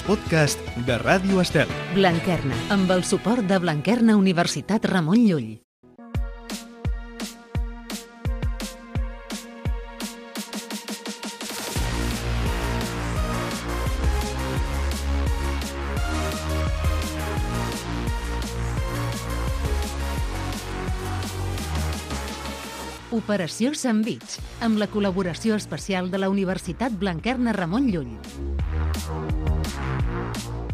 podcast de Ràdio Estel. Blanquerna, amb el suport de Blanquerna Universitat Ramon Llull. Operació Sandvich, amb la col·laboració especial de la Universitat Blanquerna Ramon Llull.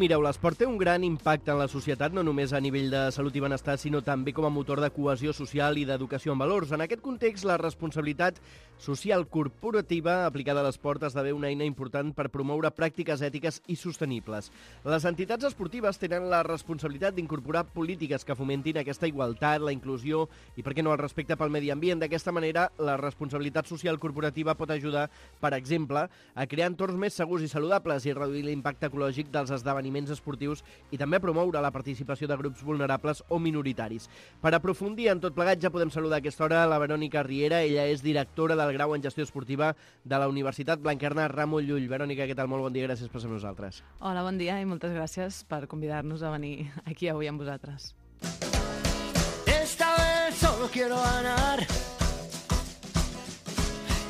Mireu, l'esport té un gran impacte en la societat, no només a nivell de salut i benestar, sinó també com a motor de cohesió social i d'educació en valors. En aquest context, la responsabilitat social corporativa aplicada a l'esport esdevé una eina important per promoure pràctiques ètiques i sostenibles. Les entitats esportives tenen la responsabilitat d'incorporar polítiques que fomentin aquesta igualtat, la inclusió i, per què no, el respecte pel medi ambient. D'aquesta manera, la responsabilitat social corporativa pot ajudar, per exemple, a crear entorns més segurs i saludables i reduir l'impacte ecològic dels esdeveniments esportius i també promoure la participació de grups vulnerables o minoritaris. Per aprofundir en tot plegat ja podem saludar a aquesta hora la Verònica Riera. Ella és directora del grau en gestió esportiva de la Universitat Blanquerna Ramon Llull. Verònica, què tal? Molt bon dia, gràcies per ser amb nosaltres. Hola, bon dia i moltes gràcies per convidar-nos a venir aquí avui amb vosaltres. Esta vez solo quiero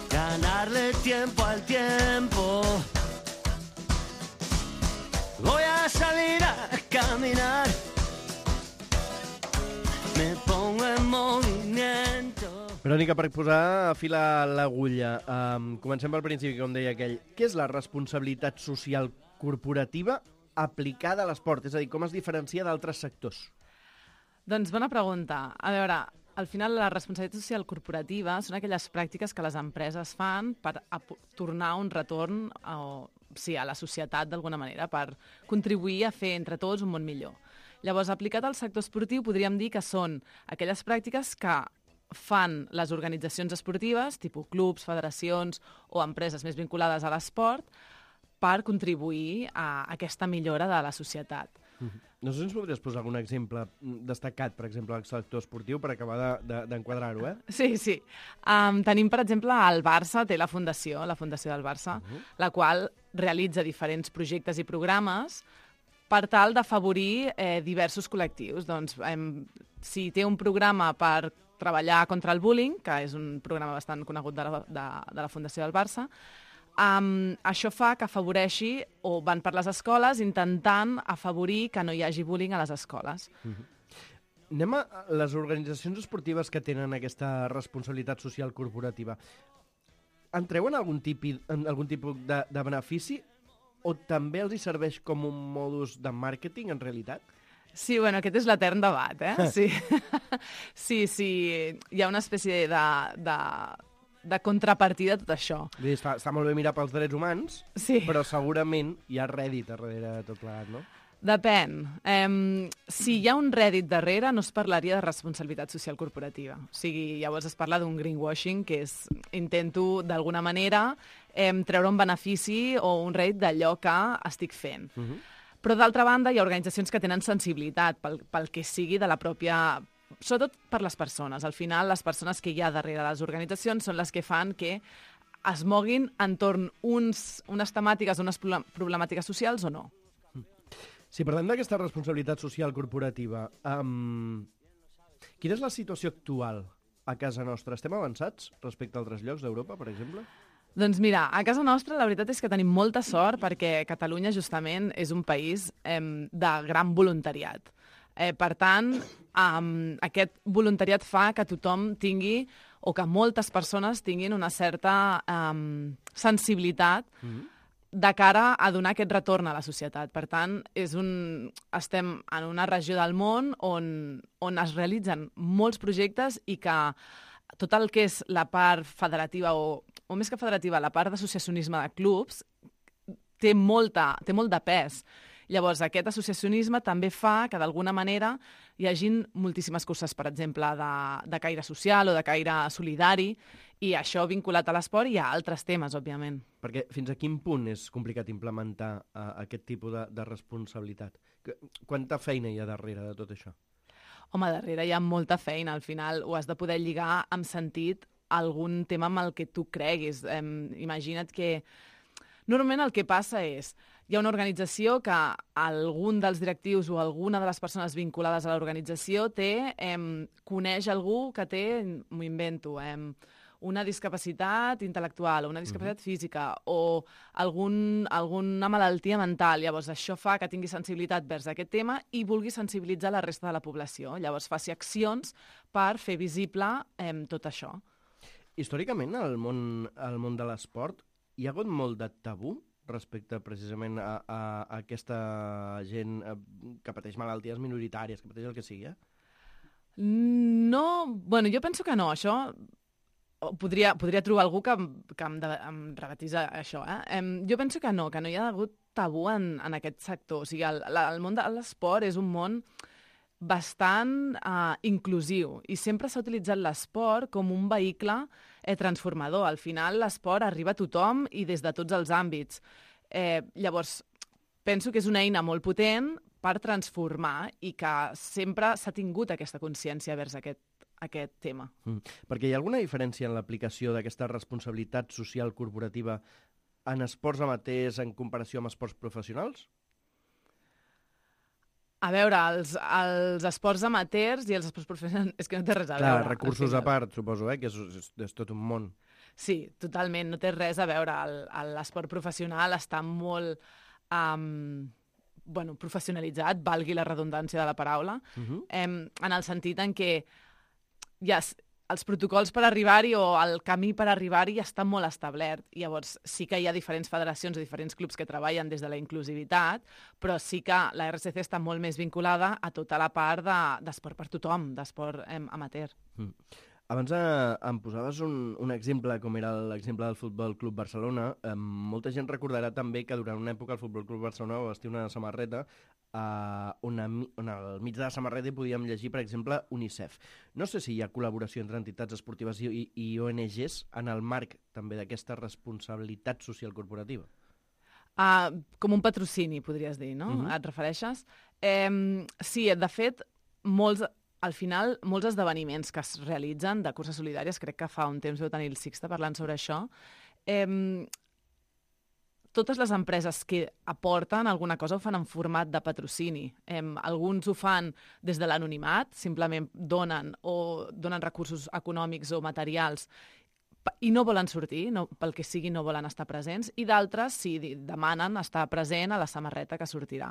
ganarle tiempo al tiempo. Voy a salir a caminar, me pongo en movimiento. Verònica, per posar a fil a l'agulla, comencem pel principi, com deia aquell. Què és la responsabilitat social corporativa aplicada a l'esport? És a dir, com es diferencia d'altres sectors? Doncs bona pregunta. A veure, al final la responsabilitat social corporativa són aquelles pràctiques que les empreses fan per tornar un retorn a la societat d'alguna manera, per contribuir a fer entre tots un món millor. Llavors, aplicat al sector esportiu, podríem dir que són aquelles pràctiques que fan les organitzacions esportives, tipus clubs, federacions o empreses més vinculades a l'esport, per contribuir a aquesta millora de la societat. No sé si ens podries posar algun exemple destacat, per exemple, al sector esportiu, per acabar d'enquadrar-ho, eh? Sí. Tenim, per exemple, el Barça, té la Fundació del Barça, la qual realitza diferents projectes i programes per tal d'afavorir diversos col·lectius. Doncs, si té un programa per treballar contra el bullying, que és un programa bastant conegut de la Fundació del Barça, això fa que afavoreixi, o van per les escoles intentant afavorir que no hi hagi bullying a les escoles. Anem a les organitzacions esportives que tenen aquesta responsabilitat social corporativa. En treuen algun tipus de benefici o també els hi serveix com un modus de màrqueting, en realitat? Sí, bueno, aquest és l'etern debat, eh? Sí. Hi ha una espècie de contrapartida a tot això. Està molt bé mirar pels drets humans, sí, però segurament hi ha rèdit darrere de tot plegat, no? Depèn. Si hi ha un rèdit darrere, no es parlaria de responsabilitat social corporativa. O sigui, llavors es parla d'un greenwashing, que és intento, d'alguna manera, treure un benefici o un rèdit d'allò que estic fent. Però, d'altra banda, hi ha organitzacions que tenen sensibilitat pel que sigui de la pròpia... Sobretot per les persones. Al final, les persones que hi ha darrere les organitzacions són les que fan que es moguin entorn unes temàtiques, unes problemàtiques socials o no. Si parlem d'aquesta responsabilitat social corporativa, quina és la situació actual a casa nostra? Estem avançats respecte a altres llocs d'Europa, per exemple? Doncs mira, a casa nostra la veritat és que tenim molta sort perquè Catalunya justament és un país de gran voluntariat. Per tant, aquest voluntariat fa que tothom tingui, o que moltes persones tinguin una certa sensibilitat de cara a donar aquest retorn a la societat. Per tant, estem en una regió del món on es realitzen molts projectes i que tot el que és la part federativa, o més que federativa, la part d'associacionisme de clubs, té molt de pes. Llavors, aquest associacionisme també fa que, d'alguna manera, hi hagin moltíssimes curses, per exemple, de caire social o de caire solidari, i això vinculat a l'esport i a altres temes, òbviament. Perquè fins a quin punt és complicat implementar aquest tipus de responsabilitat? Quanta feina hi ha darrere de tot això? Home, darrere hi ha molta feina. Al final ho has de poder lligar amb sentit a algun tema amb el que tu creguis. Imagina't que Normalment el que passa és, hi ha una organització que algun dels directius o alguna de les persones vinculades a l'organització coneix algú que té, m'ho invento, una discapacitat intel·lectual o una discapacitat física o alguna malaltia mental. Llavors, això fa que tingui sensibilitat vers aquest tema i vulgui sensibilitzar la resta de la població. Llavors, faci accions per fer visible tot això. Històricament, al món de l'esport, hi ha hagut molt de tabú respecte precisament a aquesta gent que pateix malalties minoritàries, que pateix el que sigui, No, bueno, jo penso que no, això... Podria trobar algú que em rebatís això. Jo penso que no hi ha hagut tabú en aquest sector. O sigui, el món de l'esport és un món bastant inclusiu i sempre s'ha utilitzat l'esport com un vehicle transformador. Al final, l'esport arriba a tothom i des de tots els àmbits. Llavors, penso que és una eina molt potent per transformar i que sempre s'ha tingut aquesta consciència vers aquest tema. Perquè hi ha alguna diferència en l'aplicació d'aquesta responsabilitat social corporativa en esports amateurs en comparació amb esports professionals? A veure, els esports amateurs i els esports professionals és que no té res a veure. Clar, recursos a part, suposo, que és tot un món. Sí, totalment, no té res a veure. L'esport professional està molt professionalitzat, valgui la redundància de la paraula, en el sentit en què els protocols per arribar-hi o el camí per arribar-hi està molt establert. Llavors, sí que hi ha diferents federacions o diferents clubs que treballen des de la inclusivitat, però sí que la RCC està molt més vinculada a tota la part d'esport per tothom, d'esport amateur. Abans em posaves un exemple, com era l'exemple del Futbol Club Barcelona. Molta gent recordarà també que durant una època el Futbol Club Barcelona va vestir una samarreta on al mig de la samarreta hi podíem llegir, per exemple, UNICEF. No sé si hi ha col·laboració entre entitats esportives i ONGs en el marc també d'aquesta responsabilitat social corporativa. Com un patrocini, podries dir, no? Et refereixes? Sí, de fet, al final, molts esdeveniments que es realitzen de curses solidàries, crec que fa un temps vau tenir el Sixte parlant sobre això, totes les empreses que aporten alguna cosa ho fan en format de patrocini. Alguns ho fan des de l'anonimat, simplement donen recursos econòmics o materials i no volen sortir, pel que sigui no volen estar presents, i d'altres sí, demanen estar present a la samarreta que sortirà.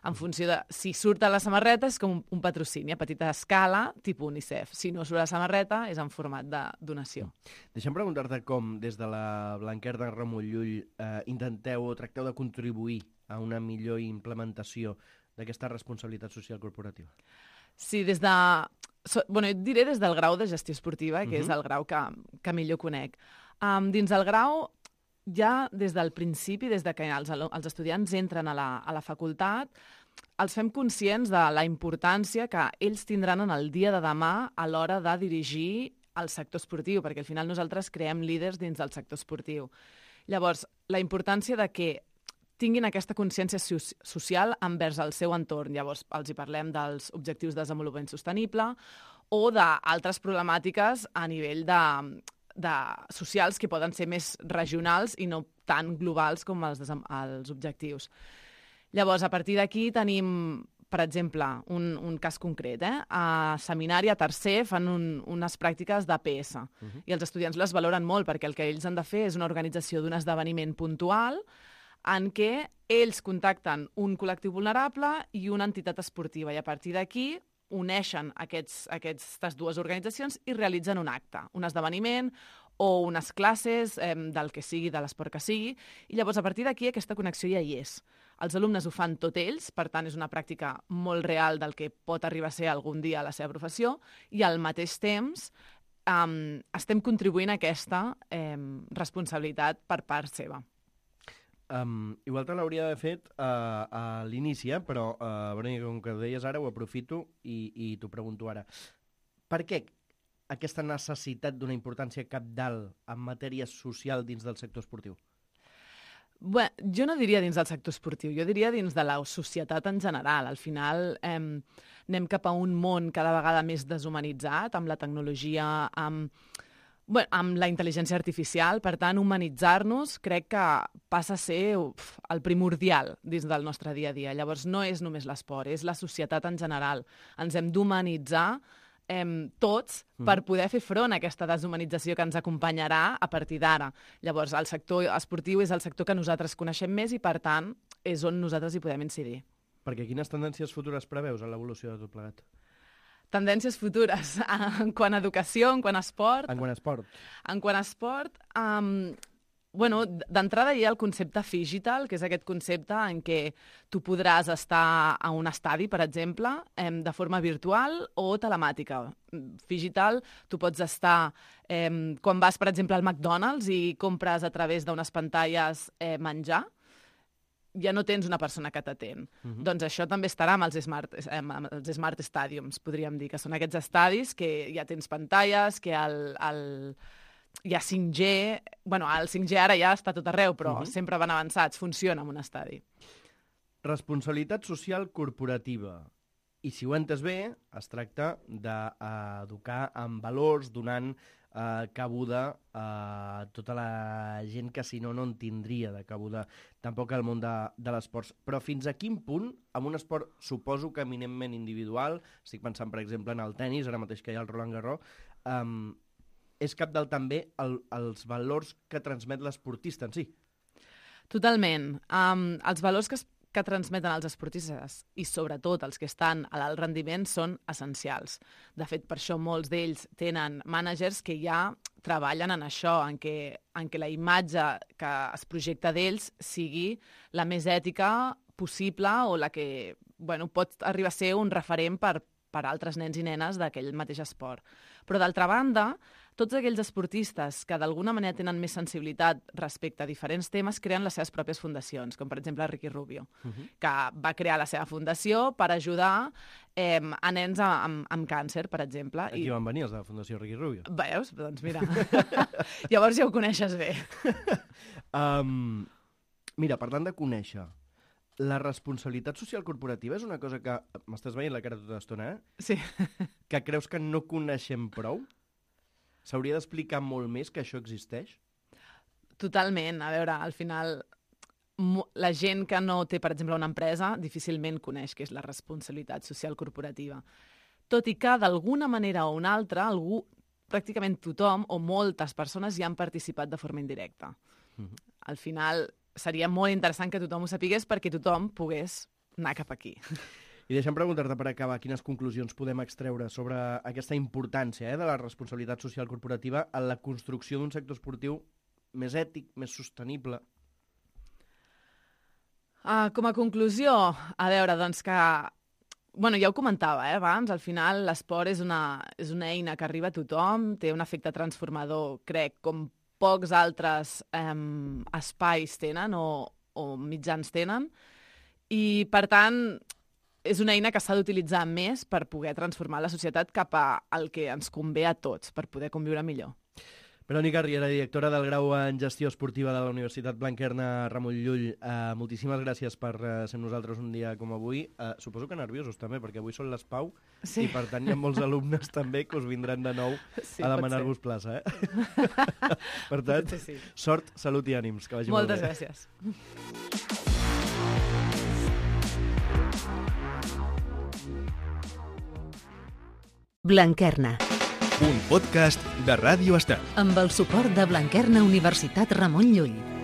En funció de si surt a la samarreta és com un patrocini a petita escala, tipus UNICEF. Si no surt a la samarreta és en format de donació. Deixa'm preguntar-te com, des de la Blanquerna Ramon Llull, intenteu o tracteu de contribuir a una millor implementació d'aquesta responsabilitat social corporativa. Sí, jo diré des del grau de gestió esportiva, que és el grau que millor conec. Dins el grau, ja des del principi, des de que els estudiants entren a la facultat, els fem conscients de la importància que ells tindran en el dia de demà a l'hora de dirigir el sector esportiu, perquè al final nosaltres creem líders dins del sector esportiu. Llavors, la importància de que tinguin aquesta consciència social envers el seu entorn. Llavors, els hi parlem dels objectius de desenvolupament sostenible o d'altres problemàtiques a nivell socials que poden ser més regionals i no tan globals com els objectius. Llavors, a partir d'aquí tenim, per exemple, un cas concret. A seminari, a tercer, fan unes pràctiques d'APS i els estudiants les valoren molt perquè el que ells han de fer és una organització d'un esdeveniment puntual en què ells contacten un col·lectiu vulnerable i una entitat esportiva, i a partir d'aquí uneixen aquestes dues organitzacions i realitzen un acte, un esdeveniment o unes classes del que sigui, de l'esport que sigui, i llavors a partir d'aquí aquesta connexió ja hi és. Els alumnes ho fan tot ells, per tant és una pràctica molt real del que pot arribar a ser algun dia a la seva professió, i al mateix temps estem contribuint a aquesta responsabilitat per part seva. Igual te l'hauria d'haver fet a l'inici, però com que ho deies ara ho aprofito i t'ho pregunto ara. Per què aquesta necessitat d'una importància cabdal en matèria social dins del sector esportiu? Bé, jo no diria dins del sector esportiu, jo diria dins de la societat en general. Al final anem cap a un món cada vegada més deshumanitzat, amb la tecnologia, amb Bueno, amb la intel·ligència artificial, per tant, humanitzar-nos crec que passa a ser el primordial dins del nostre dia a dia. Llavors, no és només l'esport, és la societat en general. Ens hem d'humanitzar tots per poder fer front a aquesta deshumanització que ens acompanyarà a partir d'ara. Llavors, el sector esportiu és el sector que nosaltres coneixem més i, per tant, és on nosaltres hi podem incidir. Perquè quines tendències futures preveus en l'evolució de tot plegat? Tendències futures en quant a educació, en quant a esport. En quant a esport? En quant a esport, d'entrada hi ha el concepte Phygital, que és aquest concepte en què tu podràs estar a un estadi, per exemple, de forma virtual o telemàtica. Phygital, tu pots estar, quan vas, per exemple, al McDonald's i compres a través d'unes pantalles menjar, ja no tens una persona que t'atén. Doncs això també estarà amb els Smart Stadiums, podríem dir, que són aquests estadis que ja tens pantalles, que hi ha 5G... Bueno, el 5G ara ja està tot arreu, però sempre van avançats, funciona en un estadi. Responsabilitat social corporativa. I si ho he entès bé, es tracta d'educar amb valors, donant cabuda a tota la gent que si no en tindria de cabuda tampoc al món de l'esport. Però fins a quin punt, amb un esport suposo que eminentment individual, estic pensant per exemple en el tennis, ara mateix que hi ha el Roland Garros, és cabdal també els valors que transmet l'esportista en si. Totalment. Els valors que transmeten els esportistes i sobretot els que estan a l'alt rendiment són essencials. De fet, per això molts d'ells tenen mànagers que ja treballen en això, en què la imatge que es projecta d'ells sigui la més ètica possible o la que pot arribar a ser un referent per altres nens i nenes d'aquell mateix esport. Però d'altra banda, tots aquells esportistes que d'alguna manera tenen més sensibilitat respecte a diferents temes creen les seves pròpies fundacions, com per exemple Ricky Rubio, que va crear la seva fundació per ajudar a nens amb càncer, per exemple. Aquí van venir els de la Fundació Ricky Rubio. Veus? Doncs mira, llavors ja ho coneixes bé. Mira, parlant de conèixer, la responsabilitat social corporativa és una cosa que... M'estàs veient la cara tota l'estona, eh? Sí. Que creus que no coneixem prou? S'hauria d'explicar molt més que això existeix? Totalment. A veure, al final, la gent que no té, per exemple, una empresa, difícilment coneix què és la responsabilitat social corporativa. Tot i que, d'alguna manera o una altra, pràcticament tothom o moltes persones hi han participat de forma indirecta. Al final, seria molt interessant que tothom ho sapigués perquè tothom pogués anar cap aquí. I deixa'm preguntar-te per acabar quines conclusions podem extreure sobre aquesta importància de la responsabilitat social corporativa en la construcció d'un sector esportiu més ètic, més sostenible. Com a conclusió, a veure, doncs que... ja ho comentava abans, al final l'esport és una eina que arriba a tothom, té un efecte transformador, crec, com pocs altres espais tenen o mitjans tenen, i per tant és una eina que s'ha d'utilitzar més per poder transformar la societat cap al que ens convé a tots, per poder conviure millor. Verònica Riera, directora del grau en Gestió Esportiva de la Universitat Blanquerna Ramon Llull, moltíssimes gràcies per ser amb nosaltres un dia com avui. Suposo que nerviosos també, perquè avui són les Pau, sí. I per tant hi ha molts alumnes també que us vindran de nou a demanar-vos plaça. Per tant, sort, salut i ànims, que vagi molt bé. Moltes gràcies. Blanquerna. Un podcast de Ràdio Estel. Amb el suport de Blanquerna Universitat Ramon Llull.